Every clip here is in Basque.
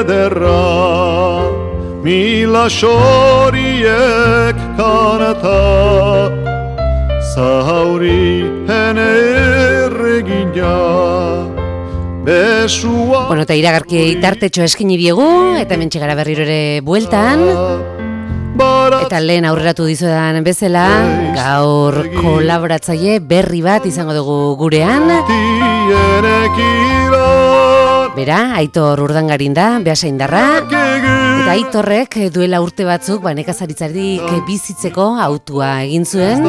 ederra, mila xoriek kanata, zauri hene erregina, besua... Bueno, eta iragarki tartetxo eskini biegu, eta hemen txegara berriro ere bueltan. Eta lehen aurreratu dizuedan bezala, gaur kolaboratzaile berri bat izango dugu gurean. Bera, Aitor Urdangarin da, Beasaindarra. Eta Aitorrek duela urte batzuk nekazaritzarik bizitzeko autua egin zuen.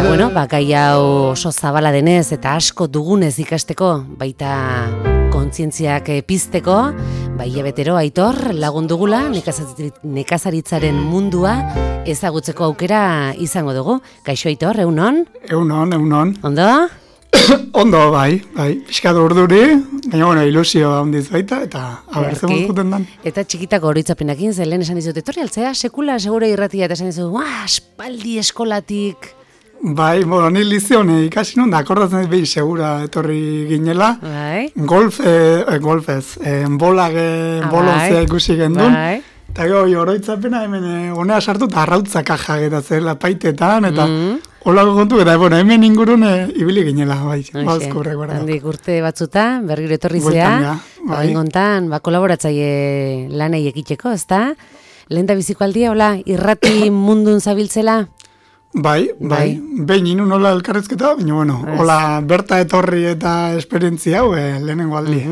Bueno, gai hau oso zabala denez eta asko dugunez ikasteko, baita kontzientziak pizteko, hilabetero Aitor lagundugula nekazaritzaren mundua ezagutzeko aukera izango dugu. Kaixo Aitor, egunon? Egunon. Ondo? Ondo, bai, pixkatu urduri, baina ilusio handiz baita, eta abertzen guztuten dan. Eta txikitako oroitzapenakin, lehen esan dizut, etorri altzea, sekula, segure irratia, eta esan dizut, espaldi eskolatik. Bai, ni lizione ikasi nun, da, akordatzen behi segura etorri ginela. Bai. Golfez, bolonzea ikusi gendun. Bai. Eta oroitzapena hemen honea sartu, eta arrautzak jagetatzeela paitetan, eta holako kontu, eta hemen ingurun ibili ginela, bai. Handik urte batzuta, berriro etorri zea, gontan, kolaboratzaile lanei ekiteko, ezta? Lehen da biziko aldia, hola, irrati mundun zabiltzela? Bai, behin inun hola elkarrezketa, baina, hola, berta etorri eta esperientzia hau, lehenengo aldi.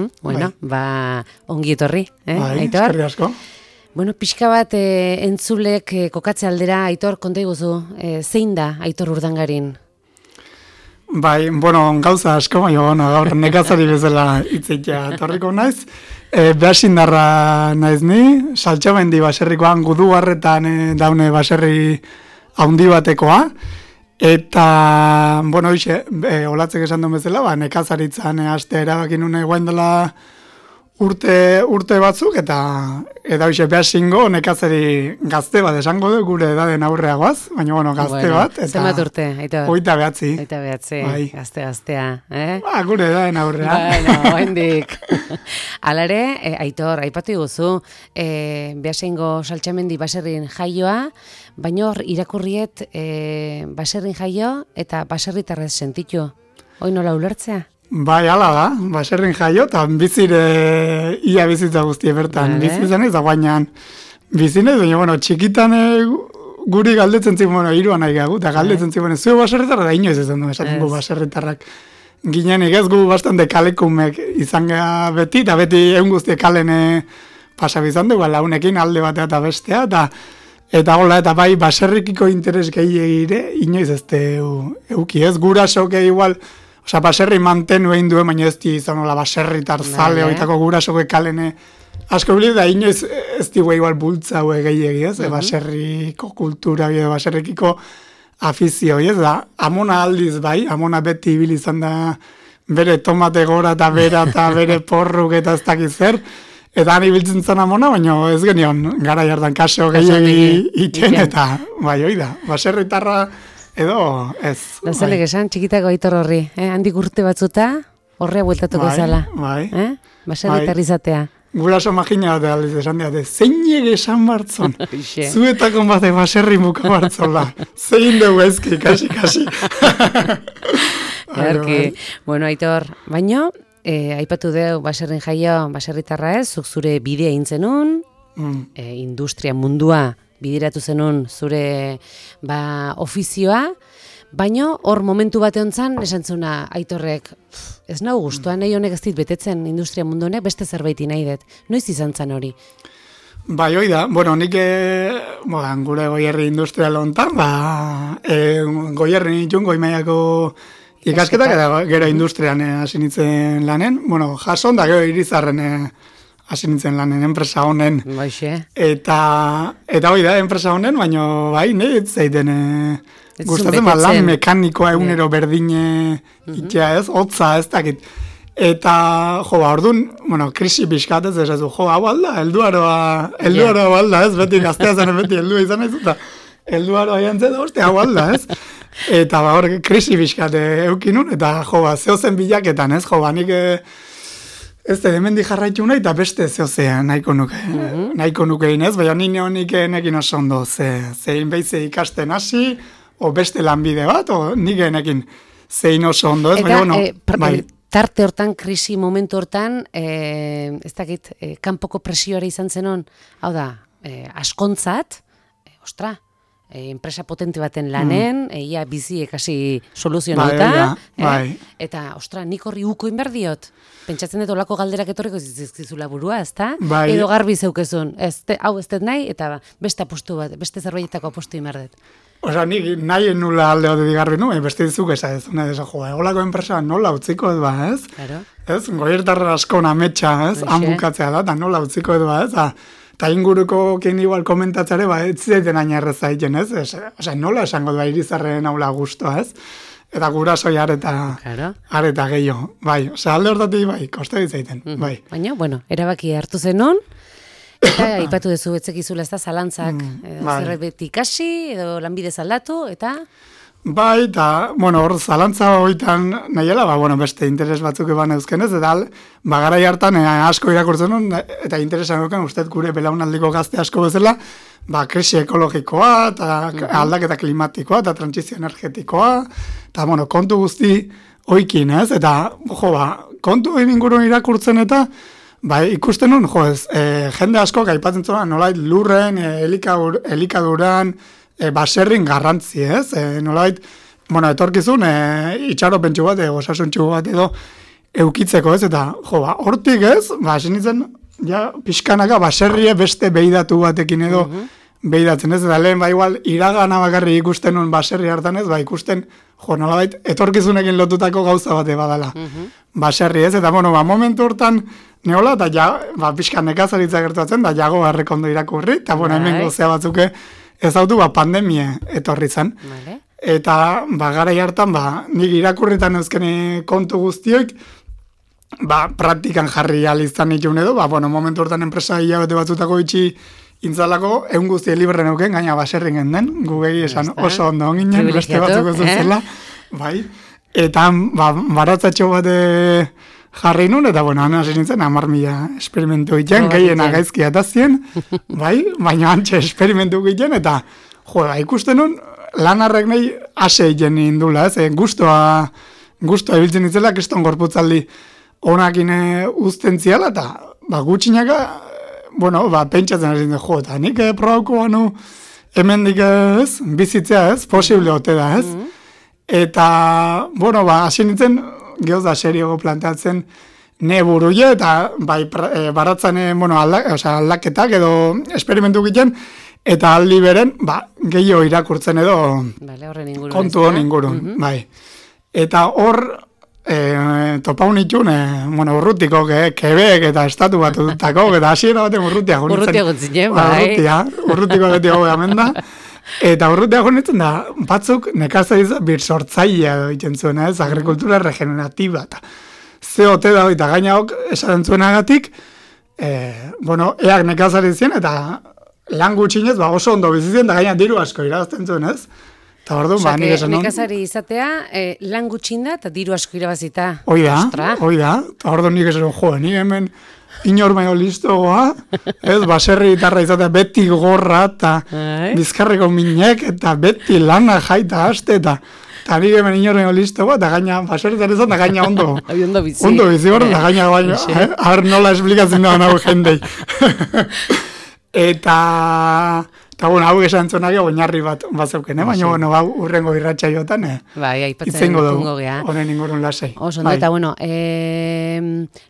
Ongi etorri, Aitor? Eskerri asko. Bueno, pixka bat entzulek kokatze aldera, Aitor, konta iguzu, zein da Aitor Urdangarin? Bai, gauza asko, baina, gaur nekazari bezala hitzitea etorriko naiz. Beasaindarra naiz ni, Saltxamendi baserrikoan Gudugarretan daune baserri haundi batekoa, eta, olatzek esan duen bezala, nekazaritzan hastea erabaki nune guain dela urte batzuk, eta Beasaingo nekazari gazte bat esango du, gure edaden aurreagoaz, baina, gazte bat. Zenbat urte, Aitor? 29. Gaztea, gure edaden aurrea. Oendik. Alare, Aitor, aipatu iguzu, Beasaingo Saltxamendi baserrin jaioa, baina hor irakurriet baserrin jaio eta baserritarrez sentitu. Hoi nola ulertzea? Bai, ala da, baserrin jaio, eta ia bizitza guztie bertan. Bizitzen ez da guainan bizinez, baina, txikitan guri galdetzen ziren, iruan nahi gagu, eta galdetzen ziren, zue baserritarra da inoiz esan du, esaten gu baserritarrak. Ginenik ez gu bastante kalekumek izan gara beti, eta beti egun guztie kalen pasabizan dugu, launekin alde batea eta bestea, eta bai baserrikiko interes gehiagire, inoiz ez euki ez, gurasoke igual, baserri mantenu egin duen, baina ez izan baserritar zale, oitako gurasoke kalene asko bilit, da inoiz ez digu igual bultza hue gehiagi ez, baserriko kultura, baserrikiko afizio, ez da, amona aldiz bai, amona beti ibil izan da bere tomate gora eta bere porruk eta ez dakiz zer, eta han ibiltzen zen amona, baina ez genion, gara jardan kaso gehiagi iten, eta bai, oida, baserritarra edo ez. Da zelek esan, txikitako Aitor horri, handik urte batzuta, horrea bueltatuko zala. Bai. Baserritar izatea. Guraso magina bat aldiz esan diate, zein esan bartzon, zuetako bate baserri muka bartzola, zein dugu ezki, kasi. Bueno, Aitor, baino, aipatu deu baserrin jaio, baserritarra ez, zuk zure bidea intzenun, industria mundua, bidiratu zenun zure ofizioa, baina hor momentu bate hontzan esan zuna Aitorrek, ez nau gustuan, nahi honek ez dit betetzen industria mundu honek, beste zerbaiti nahi dut. Noiz izan zen hori? Bai, hoi da, nik gure goierri industrial hontan, goierri nitun goimaiako ikasketak, eta gero industrian hasi nintzen lanen, jason da gero Irizarren hasi nintzen lanen, enpresa honen. Eta hoi da, enpresa honen, baina bai, nahi zaiten gustatzen lan mekanikoa egunero berdine itea ez, hotza ez dakit. Eta, orduan, krisi pixkat ez ez du, hau alda, helduaroa alda ez, beti gaztea zen, beti heldua izan ez, eta helduaroa jantzen da, hau alda ez. Eta krisi pixkat eukinun, eta zehozen bilaketan ez, nik ez da, hemendik jarraitu nahi, eta beste zehozea nahiko nuke. Nahiko nuke inez, baina nire honik nekin oso ondo, zein behize ikasten hasi, o beste lanbide bat, o nik enekin zein oso ondo, ez? Eta, bai. Tarte hortan, krisi momentu hortan, ez dakit, kanpoko presioare izan zenon, hau da, askontzat, enpresa potente baten lanen, ia bizi ekasi soluzionauta, eta, nik horri uko inberdiot. Pentsatzen dut olako galderak etorriko zizkizula burua, ezta? Bai. Edo garbi zeukezun, hau ez dut nahi, eta beste apostu bat, beste zerbaitetako apostu inberdet. Osa, nik nahi nula alde hori digarbi nuen, beste dizuk ez, olako enpresa nola utziko edo, ez? Claro. Ez, goiertarra asko nametxa, ez? Hanbukatzea da, eta nola utziko edo, ez? Eta inguruko kein igual komentatzare, ez zaiten ainerreza egiten, ez? Osa, nola esango du irizarren haula guztua, ez? Eta gurasoi areta gehiago, bai. Osa, alde hortatik, bai, koste ditzaiten, bai. Baina, bueno, erabaki hartu zenon, eta ipatu dezu betzekizula ez da, zalantzak, zerbait ikasi, edo lanbide aldatu, eta... Bai, eta, bueno, hor, zalantza hoitan nahiela, beste interes batzuk eban euskenez, eta garai hartan asko irakurtzen hon, eta interesan duken, uste gure belaunaldiko gazte asko bezala, krisi ekologikoa, eta aldaketa klimatikoa, eta trantsizio energetikoa, eta, kontu guzti oikin, ez? Eta, kontu ingurun irakurtzen eta, ikusten hon, jende asko aipatzen zuen, nolait lurren, elikaduran, baserrin garrantzi, ez? Nolait, etorkizun, itxaropentsu bat, osasuntxu bat edo eukitzeko, ez? Eta, hortik, ez? Esan nintzen, pixkanaka baserrie beste beidatu batekin edo beidatzen, ez? Eta lehen, igual, iragana bakarri ikusten nun baserri hartan, ez? Ikusten, nolait, etorkizunekin lotutako gauza bate badala. Baserri, ez? Eta, momentu hortan, neola, eta pixkan nekazaritza gertuatzen, da jago harrekondo irakurri, eta, hemen gozea batzuke, ez dautu, pandemia etorri zen. Eta, garai hartan, nik irakurritan euskene kontu guztioik, praktikan jarri alizan itxun edo, momentu hortan enpresa hilabete batzutako itxi intzalako, egun guztie libren euken, gaina baserrin genden, gugei esan oso ondo onginen, beste batzuk zuzela, eta, baratzatxo bat jarri nun, eta, hasi nintzen, 10.000 esperimentu egiten, gehiena gaizki atazien, baina antxe esperimentu egiten, eta, ikusten nun, lanarrek nahi ase egiten indula, ez, guztua ebiltzen itzela, kriston gorputzaldi onakin uzten ziala, eta, gutxinaka, pentsatzen hasi nintzen, eta nik probauko banu, hemendik ez, bizitzea ez, posible ote da, ez, eta, hasi nintzen, gehoz da seriogo planteatzen ne buruie, eta baratzen aldaketak edo esperimentu egiten, eta aldi beren, gehiago irakurtzen edo kontu hon ingurun. Eta hor, topaun itxun, urrutiko, Quebec eta estatu bat dutako, eta hasiera baten urrutia guntzen. Urrutiko beti hau hemen da. Eta urrutia honetzen da, batzuk nekazariz birsortzailea egiten zuen, ez, agrikultura regeneratiba, eta zeote da, eta gainaok esaten zuenagatik, eak nekazarizien, eta lan gutxinez, oso ondo bizizien, eta gaina diru asko irabazten zuen, ez? Eta orduan, nik esan non... Nekazari izatea, lan gutxin da, eta diru asko irabazita. Hoi da, eta orduan nik esan, ni hemen... Inor baino listogoa, ez, baserri gitarra izatea beti gorra, eta bizkarreko minek, eta beti lana jaita haste, eta nik hemen inor baino listogoa, eta gaina, baserri gitarra izan, eta gaina ondo. Ondo bizi. Ondo bizi gorra, eta gaina baino, har nola esplikatzen da nago jendei. Eta, hau esan zuenak oinarri bat zeuken, baina, urrengo irratxa jotan, izango dugu, honen ingurun lasai. Oso, eta,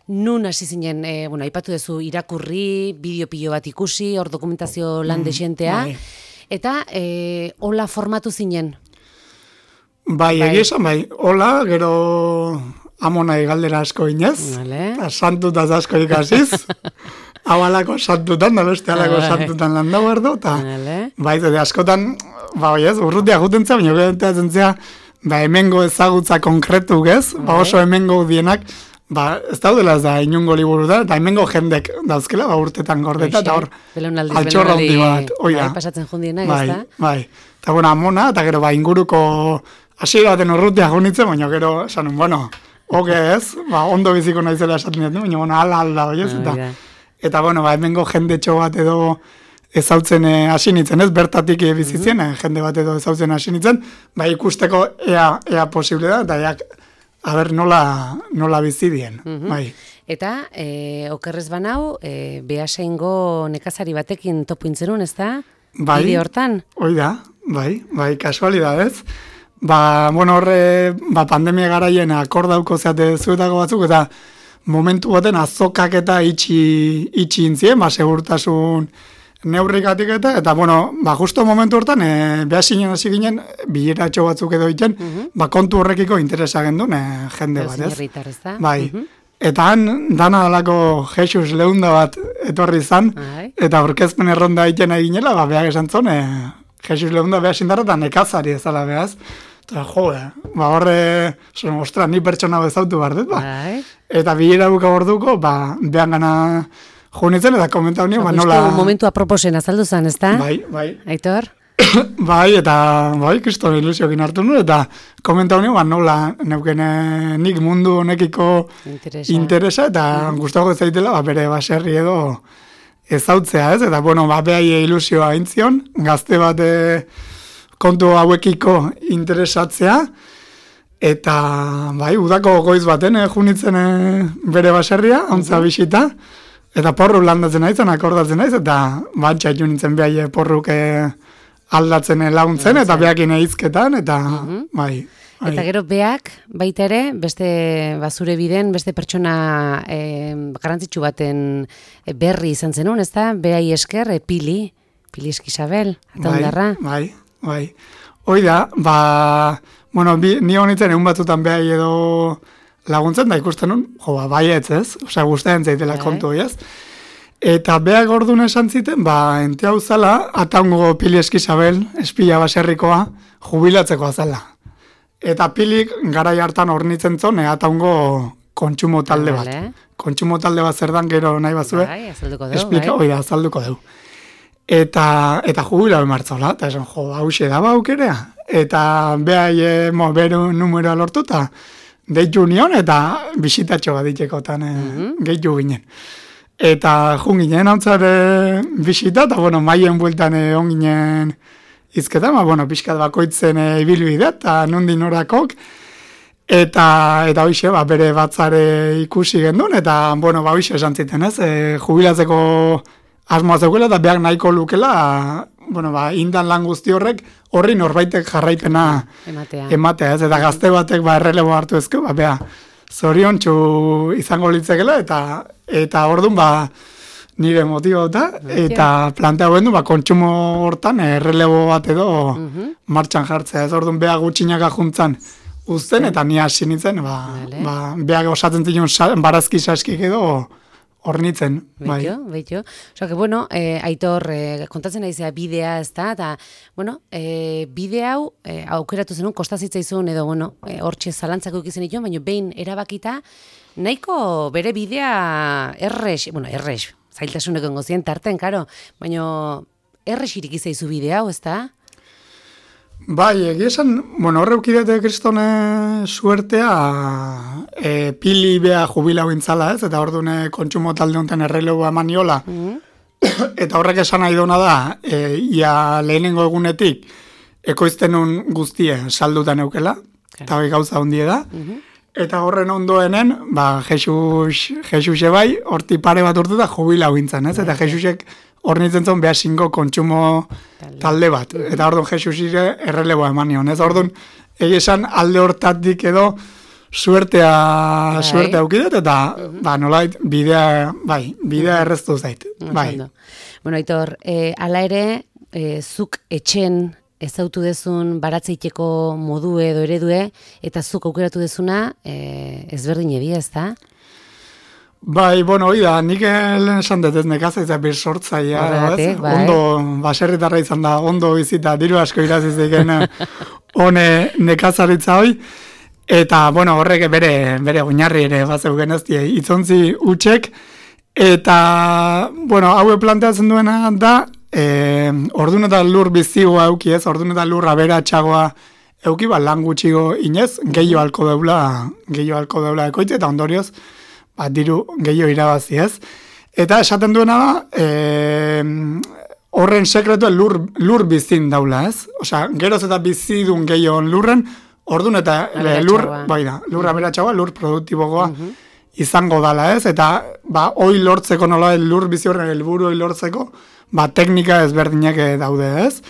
nun hasi zinen, aipatu duzu irakurri, bideo bat ikusi, hor dokumentazio lan desientea, eta hola formatu zinen? Egia esan, hola, gero amonai galdera asko inez, eta santutaz asko ikasiz, hau alako santutan, da beste alako santutan landa bardo, eta askotan, urrutia guten za, baina getatzen zea, hemengo ezagutza konkretu ez, oso hemengo dienak, ez daudela ez da inungo liburu da, eta hemengo jendek dauzkela, urtetan gordeta, eta hor, altxorra hundi bat, oida. Pasatzen jundienak, ez da? Eta amona, eta gero inguruko hasiera baten urrutia gunitzen, baina gero, esanun, Oke ez, ondo biziko naizela esaten dut, baina bueno, ala hoi ez, eta bueno, hemengo jendetxo bat edo ezautzen hasi nintzen, ez, bertatik bizitzen, jende bat edo ezautzen hasi nintzen, ikusteko ea posible da, eta aber nola bizi dien, bai. Eta, okerrez banau, Beasaingo nekazari batekin topuintzerun, ez da? Bide hortan? Hoi da, bai, kasualidadez. Bueno, horre, pandemia garaien akordauko zeate zuetako batzuk, eta momentu baten azokak eta itxi intzien, segurtasun neurrikatik eta bueno, justo momentu hortan, Beasainen hasi ginen, bileratxo batzuk edo iten, kontu horrekiko interesa gendun, jende bat, ez? Bai. Eta han, dana dalako Jesus Leunda bat etorri izan, eta orkezpen erronda egiten eginela, behar esan zon, Jesus Leunda behar sindarra eta nekazari ezala behaz. Eta horre, ostra, ni pertsona bezautu behar dut, Eta bilera buka gorduko, behar gana junitzen, eta komentau nio, nola... Momentu aproposen azaldu zen, ez da? Bai. Aitor? Kriston ilusiokin hartu nuen, eta komentau nio, nola neuken nik mundu honekiko interesa, eta gustago zaitela, bere baserri edo ezautzea, ez? Eta, bueno, behai ilusioa intzion, gazte bat kontu hauekiko interesatzea, eta, udako goiz baten junitzen bere baserria, ontza bisita, eta porru landatzen naizen, akordatzen naiz, eta batxaitu nintzen behai porruk aldatzen laguntzen, eta behakin eizketan, eta bai. Eta gero beak, baita ere, beste zure biden, beste pertsona garrantzitsu baten berri izan zenun, ez da? Behai esker, Pili Eskisabel, eta ondarra. Bai. Hoi da, bueno, ni honitzen egun batzutan behai edo laguntzen, da ikusten nun, baietz ez, osea, guztien zaitela kontu, ez? Eta behak orduan esan ziten, ente hau zala, ataungo Pili Eskisabel, espila baserrikoa, jubilatzeko azala. Eta Pilik garai hartan hornitzen zon, ataungo kontsumo talde bat. Kontsumo talde bat zer dan gero nahi bazue. Azalduko deu. Azalduko deu. Eta jubilatu martzola, eta esan, hause da aukerea. Eta behai, beru numeroa lortu, eta deitu nion, eta bisitatxo bat ditzekotan gehitu ginen. Eta jun ginen hautzare bisita, eta bueno, maien bueltan on ginen izketan, pixkat bakoitzen ibilbide, eta nondin orakok, eta hoxe, bere batzare ikusi gendun, eta hoxe esan ziten, ez, jubilatzeko asmoa zeukela, eta behar nahiko lukela, indan lan guzti horri norbaitek jarraipena ematea, ez, eta gazte batek errelebo hartu ezko, zoriontsu izango litzekela, eta orduan nire motibo eta plantea guen du, kontsumo hortan errelebo bat edo martxan jartzea, ez orduan beha gutxinaka juntzan uzten, eta ni hasi nintzen, beha osatzen zinun barazki saskik edo hornitzen. Beito. Osa, que bueno, Aitor, kontatzen naizea bidea, ez da, eta, bueno, bide hau, aukeratu zenun, kostazitzaizun, edo, bueno, hortxe zalantzako ikizen dituen, baina behin erabakita, nahiko bere bidea errex, zailtasuneko engozien tarten, karo, baina errex irikizaizu bide hau, ez da? Egia esan, horre ukidete kristone suertea Pili beha jubilau intzala, ez? Eta orduan kontsumo talde honetan errelegu amaniola. Eta horrek esan nahi dona da, ia lehenengo egunetik ekoiztenun guztie saldutan eukela, eta hori gauza hundie da. Eta horren ondoenen, Jesus bai, horti pare bat urte da jubilau intzan, ez? Eta Jesusek hornitzen zon behasingo kontsumo talde bat. Eta orduan Jesusire erreleboa eman nion. Ez orduan esan alde hortatik edo suertea aukidet, eta nolait bidea erreztu zait. Bueno, Aitor, ala ere, zuk etxen ezautu dezun baratzeiteko modu edo eredue, eta zuk aukeratu dezuna ezberdin edia, ez da? Hori da, nik esan dut ez nekazaiza bir sortzaia, ondo, baserritarra izan da, ondo bizita, diru asko iraziziken hone nekazaritza hoi, eta, horrek bere oinarri ere bazeugen ez die, itzontzi utxek, eta, haue planteatzen duena da, ordun eta lur bizigoa auki ez, ordun eta lur aberatxagoa euki, lan gutxigo inez, gehiago alko deula ekoitze, eta ondorioz, diru gehiago irabazi ez. Eta esaten duena da, horren sekretua lur bizin daula ez. Osea, geroz eta bizidun gehiago lurren, ordun eta lur aberatxagoa, lur produktibogoa izango dala ez. Eta, hoi lortzeko nola, lur bizi horren helburu hoi lortzeko, teknika ezberdinak daude ez.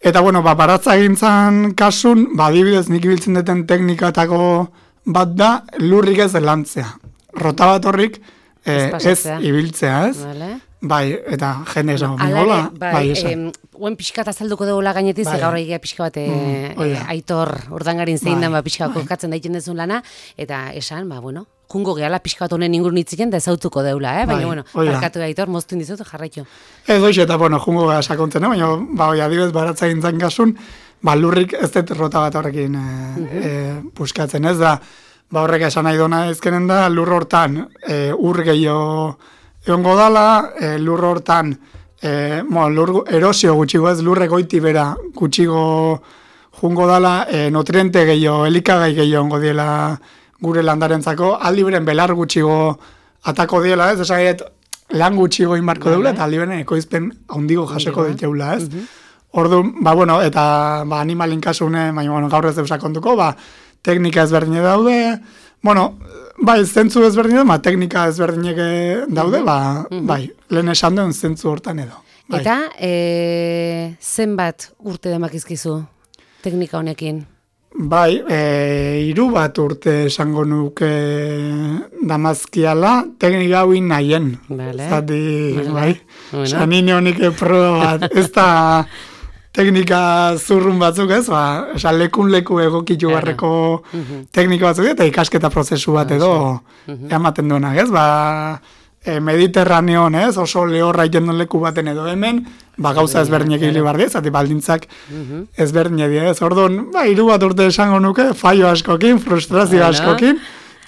Eta, baratza gintzan kasun, adibidez nik ibiltzen duten teknikatako bat da, lurrik ez lantzea. Rota bat horrik ez ibiltzea, ez? Vale. Bai, eta jende esan, hola, esan. Oen pixkat azalduko dugula gainetik, gaur egia pixka bat Aitor Urdangarin zein den pixka kokatzen daiten dezun lana, eta esan, jungo gehala pixka bat honen ingurun hitziken, da ezautuko deula, baina, parkatu Aitor, moztu indizut, jarraitu. Ez doiz, eta, jungo gehala sakontzen, baina, adibez, baratza gintzen kasun, lurrik ez dut rota bat horrekin puskatzen, ez da, horrek esan nahi dona ezkenen da, lur hortan ur gehiago egongo dala, lur hortan lur erosio gutxigo ez, lurrek goiti bera gutxigo jungo dala, nutriente gehiago, elikagai gehiago ongo diela gure landarentzako, aldi beren belar gutxigo atako diela ez, esagaiet lan gutxigo inbarko deula, eta aldi beren ekoizpen handigo jasoko diteula ez. Orduan, eta animalin kasune, baina gaur ez deusak onduko, teknika ezberdine daude, zentzu ezberdine, teknika ezberdine daude, lehen esan duen zentzu hortan edo. Eta, zenbat urte demakizkizu teknika honekin? 3 urte esango nuke damazkiala, teknika hauin nahien. Zati, sanine honik proba bat, ez da teknika zurrun batzuk ez, lekun-leku egokitu barreko teknika batzuk, eta ikasketa prozesu bat edo ematen duenak ez, Mediterraneon ez, oso lehorra iten duen leku baten edo hemen, gauza ezberdinek hili bardi, zati baldintzak ezberdinek ez. Orduan, 3 urte esango nuke, fallo askokin, frustrazio askokin,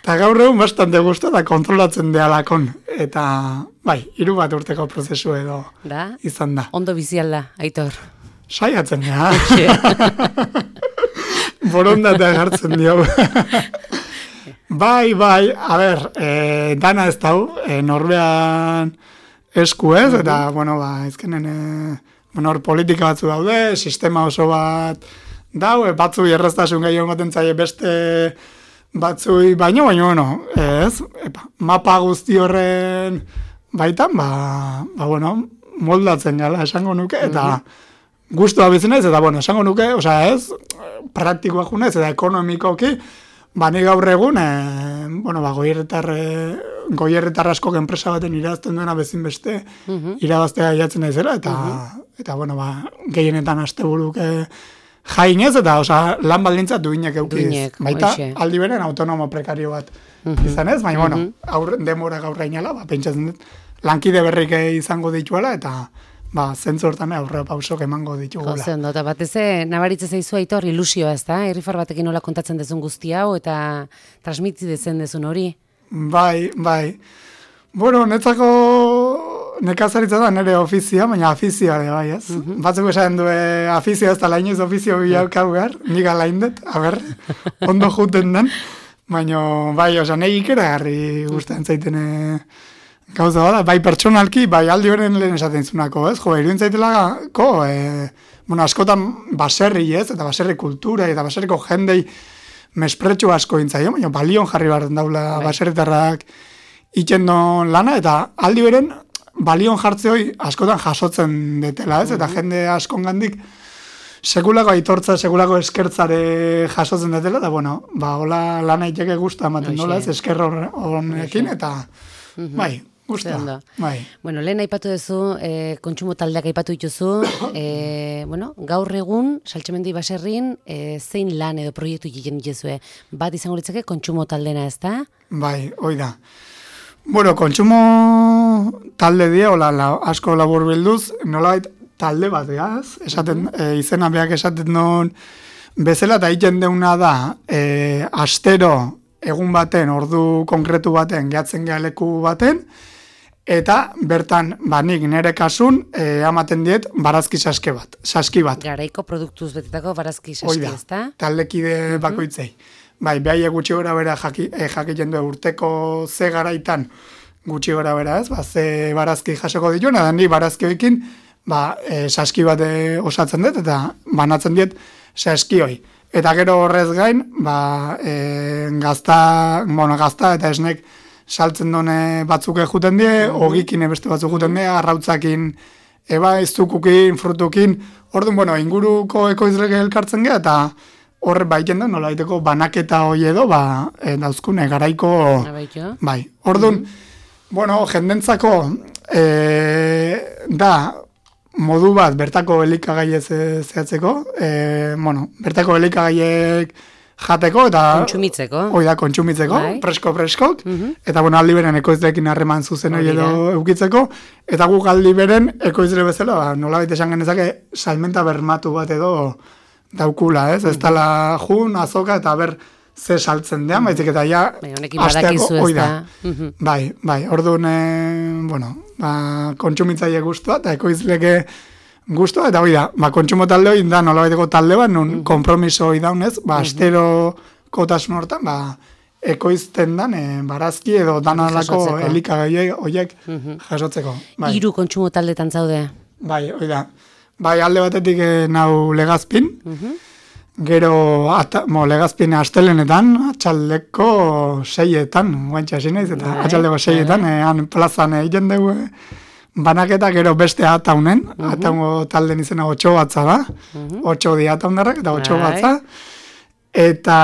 eta gaur egun bastante gustu eta kontrolatzen dealakon. Eta, 3 urteko prozesu edo izan da. Ondo bizialda, Aitor. Saiatzen da. Borondatea gartzen dio. Bai, a ber, dana ez dau, norbean esku ez, eta, ezkenen, hor politika batzu daude, sistema oso bat dau, batzu erraztasun gehiago ematen zaie beste batzui baino, ez, mapa guzti horren baitan, moldatzen gala esango nuke, eta gustua bizi naiz, eta, esango nuke, ez, praktikoa junez, eta ekonomikoki, ni gaur egun, goierritar askok enpresa baten irabazten duena bezin beste irabaztea jatzen naizela, eta gehienetan asteburuke jainez, eta lan baldintza duinek eukiz. Baita, aldi beren autonomo prekario bat izan ez, baina, demora gaur gainala, pentsatzen dut, lankide berrik izango dituela, eta zentzu hortan aurrera pausok emango ditugula. Gozen dut, batez nabaritze zaizu Aitor ilusioa ez da? Irrifar batekin nola kontatzen dezun guzti hau eta transmiti dezen dezun hori? Bai. Netzako nekazaritza da nire ofizia, baina afizioa ere bai ez. Batzuk esan du afizioa ez da lainoz ofizio bilaukau behar, nik alaindet, ondo juten den, baina nahi ikeragarri guztan zaiten gauza bada, pertsonalki, aldi beren lehen esaten zunako, ez? Irudin zaitelako, askotan baserri, ez? Eta baserri kultura, eta baserriko jendei mespretxu asko intzaio, baina balion jarri behar daula baserritarrak itxendon lana, eta aldi beren balion jartzeoi askotan jasotzen detela, ez? Eta jende askongandik sekulako aitortza, sekulako eskertzare jasotzen detela, eta hola lana iteke guzta ematen dola, ez? Esker honekin, eta Gusta, bai. Lehen aipatu duzu, kontsumo taldeak aipatu dituzu, gaur egun, Saltxemendi baserrin, zein lan edo proiektu egiten dituzue? Bat izango litzake kontsumo taldena ez da? Bai, hoi da. Kontsumo talde dira, asko labur bilduz, nolabait talde bat, esaten, izena beak esaten duen bezala, eta egiten deuna da, astero, egun baten, ordu konkretu baten, gehatzen geha leku baten, eta bertan, nik nire kasun, amaten diet barazki saski bat. Garaiko produktuz betetako barazki saski, ezta? Taldekide bakoitzei. Bai, behai gutxi gora bera jakiten du urteko ze garaitan gutxi gora bera ez, ze barazki jasoko dituen, edan ni barazkioekin, saski bat osatzen dut, eta banatzen diet saskioi. Eta gero horrez gain, gazta eta esnek saltzen dune batzuk juten die, ogikin beste batzuk juten die, arrautzakin, izukukin, frutukin, orduan, inguruko ekoizleke elkartzen geha, eta horre baiten da, nola daiteko banaketa hoi edo, dauzkune, garaiko, bai, orduan, jendentzako, da, modu bat, bertako elikagaiez zehatzeko, bertako elikagaiek jateko, eta... Kontsumitzeko. Kontsumitzeko, presko-preskok, eta aldi beren ekoizleekin harreman zuzen hori edo eukitzeko, eta guk aldi beren ekoizle bezala, nola baita esan genezake, salmenta bermatu bat edo daukula, ez? Ez tala jun, azoka, eta ber ze saltzen dean, baizik eta ja asteako hoi da. Bai, orduan, kontsumitzaile guztua, eta ekoizleke guztua, eta hoi da, kontsumo talde hoi da, nola baiteko talde bat, nun kompromiso hoi daunez, astero kotasun hortan, ekoizten dan, barazki edo danalako elikagai horiek jasotzeko. Hiru kontsumo taldetan zaude. Bai, hoi da. Bai, alde batetik nau Legazpin, gero Legazpin astelenetan, atxaldeko 6etan, guantxa hasi naiz, eta atxaldeko 6etan, han plazan egiten dugu, banaketa gero beste ataunen, ataungo talden izena 8 batza da, 8 di ataundarrak, eta 8 batza, eta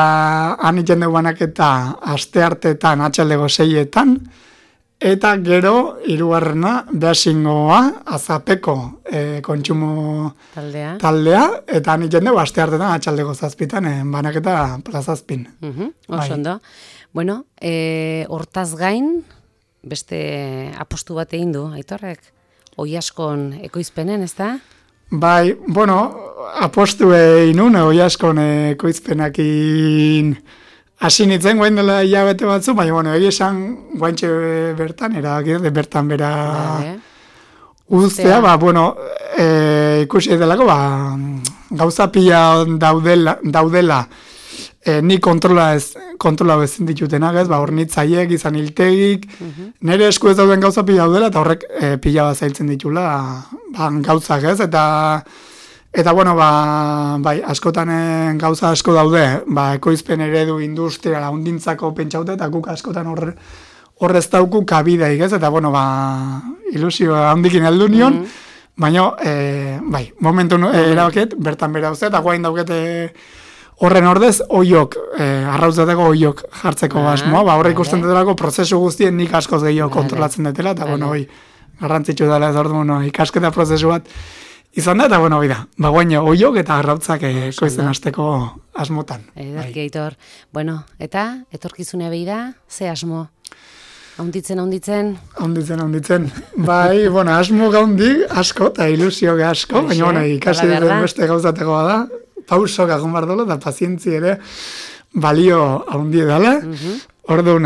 han egiten dugu banaketa aste hartetan, atxaldeko 6etan, eta gero, hirugarrena, behasingoa, azapeko kontsumo taldea, eta han egiten dugu aste hartetan, atxaldeko 7etan, banaketa plazazpin. Oso ondo. Bueno, hortaz gain, beste apostu bat egin du, Aitorrek? Oiaskon ekoizpenen, ez da? Bai, apostu egin nun, Oiaskon ekoizpenakin hasi nintzen guain dela hilabete batzu, baina, egia esan guaintxe bertan, bertan bera uztea, ikusi edelako, gauza pila daudela, ni kontrola ezin ditutenak, ez, hornitzaiek, izan hiltegik, nire esku ez dauden gauza pila daudela, eta horrek pila bat zailtzen ditula, gauzak, ez, eta bai, askotan gauza asko daude, ekoizpen eredu industriala hundintzako pentsaute, eta guk askotan horrez dauku kabideik, ez, eta ilusio handikin heldu nion, baina, bai, momentu erabaket, bertan bera uste, eta guain daukete horren ordez, arrautzateko oiok jartzeko asmoa, horre ikusten dutela prozesu guztien nik askoz gehiago kontrolatzen dutela, eta garrantzitsu dela ez ordu, ikasketa prozesu bat izan da, eta guaino oiok eta arrautzak koizten hasteko asmotan. Ederki, Aitor. Eta, etorkizunea behi da, ze asmo? Haunditzen? Haunditzen. Bai, asmo gaundi asko, eta ilusio asko, baina ikasi duten beste gauzatekoa da, pausok agon bar dola, eta pazientzi ere balio haundi edala. Orduan,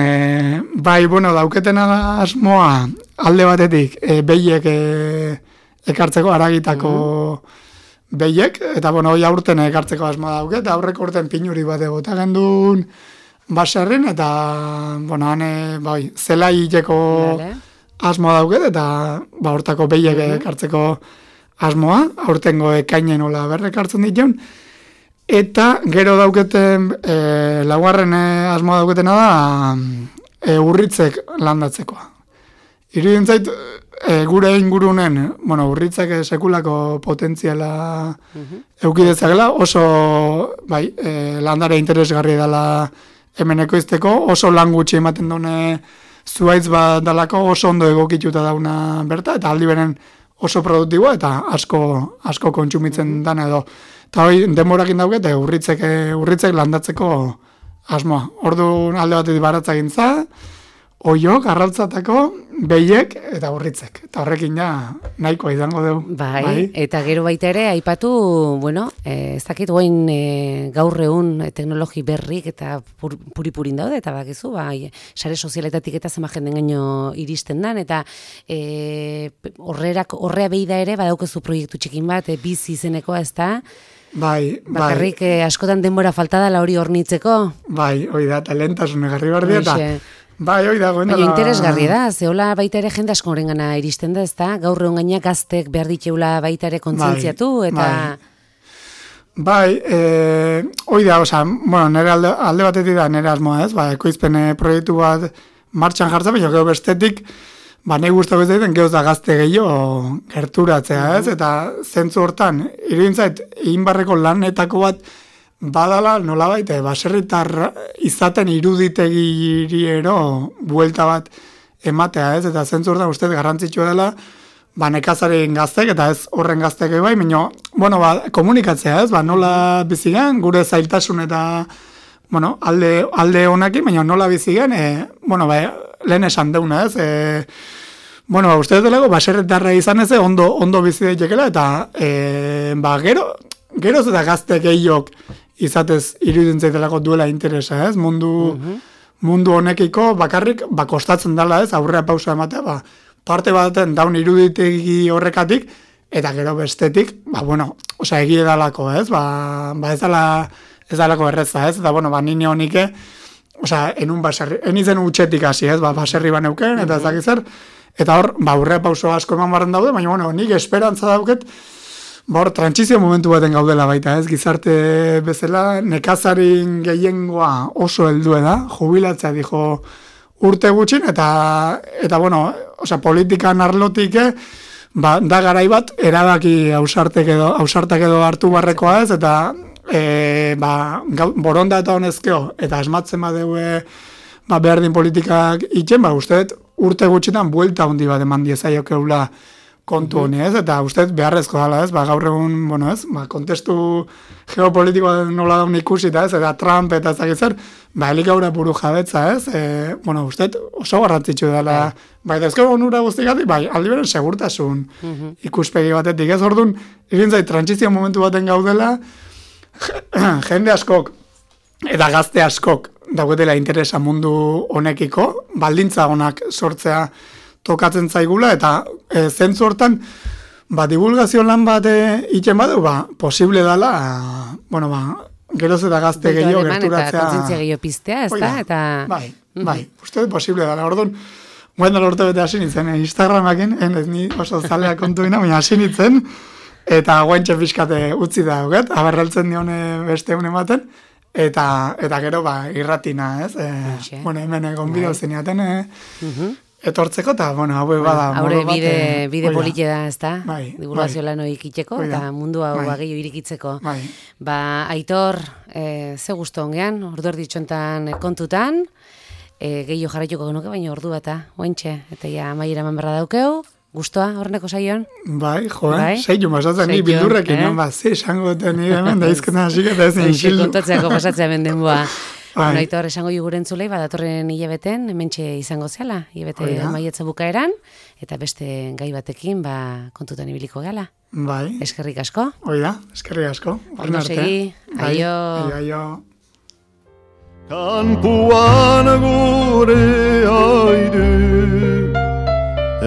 bai, dauketena asmoa alde batetik, behiek ekartzeko, aragitako behiek, eta hoi aurten ekartzeko asmoa dauke, eta aurreko urten pinuri bat egota gendun baserrin, eta bai, zela hileko asmoa dauke, eta hortako behiek ekartzeko asmoa, aurtengo ekainen hola berrekartzen dituen, eta gero dauketen, laugarren asmoa dauketena da, urritzek landatzekoa. Irudien zait, gure ingurunen, urritzek sekulako potentziala eukidezakela, oso, bai, landare interesgarri dela hemen ekoizteko, oso lan gutxi ematen dune zuaitz bat dalako, oso ondo egokituta dauna berta, eta aldi beren oso produktiboa, eta asko kontsumitzen dana edo. Eta hoi, denborakin daukete, urritzek landatzeko asmoa. Orduan alde batetik baratza gintza, oiok, arrautzatako, behiek eta urritzek. Eta horrekin ja, nahikoa izango dugu. Bai, eta gero baita ere, aipatu, bueno, ez dakit guain gaur egun teknologi berrik eta puri-purin daude, eta bakizu, bai, sare sozialetatik eta zema jenden gaino iristen dan, eta horrea behi da ere, badaukezu proiektu txikin bat, bizi izenekoa, ez da? Bai. Bakarrik askotan denbora falta dela hori hornitzeko. Bai, hoi da, talentasun egarri bardi, eta bai, hoi da, baina interesgarri da, zehola baita ere jende asko horrengana iristen da, ez da? Gaur egun gaina gaztek behar ditzeula baita ere kontzientziatu, eta... Bai, hoi da, oza, bueno, nire alde batetik da, nire asmoa, ez? Ekoizpen proiektu bat martxan jartza, baina gero bestetik, nahi guztako ez daiten, gehoz da gazte gehiago gerturatzea, ez? Eta zentzu hortan, iruditzait, inbarreko lanetako bat badala, nolabait, baserritar izaten iruditegiriero buelta bat ematea, ez? Eta zentzu hortan uste garrantzitsua dela, nekazaren gaztek, eta ez horren gaztek bai, baina, bueno, komunikatzea, ez? Nola bizigen, gure zailtasun eta, bueno, alde honakin, baina nola bizigen, bueno, lehen esan deuna, ez? Bueno, uste dut baserritarra izan ez, ondo bizi daitekela, eta, geroz eta gazte gehiok izatez irudintzaitelako duela interesa, ez? Mundu honekiko bakarrik kostatzen dela, ez? Aurrea pausa ematea, parte baten daun iruditegi horrekatik, eta gero bestetik, bueno, osea, egie dalako, ez? Ez dalako erreza, ez? Eta, bueno, nine honike, osea, enun baserri, enizen utxetik hasi, ez? Baserri baneuken, eta ez dakizzer, eta hor, aurrea pauso asko eman barren daude, baina, bueno, nik esperantza dauket, hor, trantsizio momentu baten gaudela baita, ez? Gizarte bezala, nekazarin gehiengoa oso heldue da, jubilatzea dijo urte gutxin, eta bueno, osea, politikan arlotik, da garai bat, erabaki ausartak edo hartu barrekoa ez, eta boronda eta honezkeo, eta asmatzen badeue behardin politikak itxen, uste urte gutxitan buelta handi bat eman diezaiokeula kontu honi, ez? Eta uste beharrezko dela, ez? Gaur egun, bueno, ez? Kontestu geopolitikoa nola daun ikusi, ez? Eta Trump eta ezagitzer, helik aurra buru jabetza, ez? Bueno, uste oso garrantzitsu dela, dezkego onura guztikatik, aldi beren segurtasun ikuspegi batetik, ez? Orduan, irintzai, trantsizio momentu baten gaudela, jende askok, eta gazte askok, dagoetela interesa mundu honekiko, baldintza honak sortzea tokatzen zaigula, eta zentzu hortan, divulgazio lan bat itxen badu, posible dela, bueno, geroz eta gazte gehiago gerturatzea. Eta kontzientzia gehiago piztea, ez da? Eta... Bai, uste posible dela. Orduan, guendan urte bete hasi nintzen, Instagramakin, ez ni oso zalea kontuina, baina hasi nintzen, eta guaintxe pixkate utzi da, aberraltzen dione beste une ematen, eta gero, irratina, ez? Bueno, hemen gonbidau zeniaten, etortzeko, eta, bueno, hau bada... Haure bide polite da, ez da? Divulgazio lan hori ikiteko, eta mundu hau gehiago irikitzeko. Aitor, ze gustu ongean, ordu erditxontan kontutan, gehiago jarraituko genuke, baina ordu bata, ointxe, eta ja maiera eman berra daukeu, gustoa horreneko saion? Saion, basatzen ni bildurrekin, ze esango eta nire hemen, da izketan hasik eta ezin isildu. Kontatzeako pasatzea hemen denboa. Aitor, esango juguren zulei, datorren hilabeten, hementxe izango zela, hilabete maiatza bukaeran, eta beste gai batekin, kontutan ibiliko gala. Eskerrik asko. Eskerrik asko. Ondo segi, aio. Kanpuan gure aire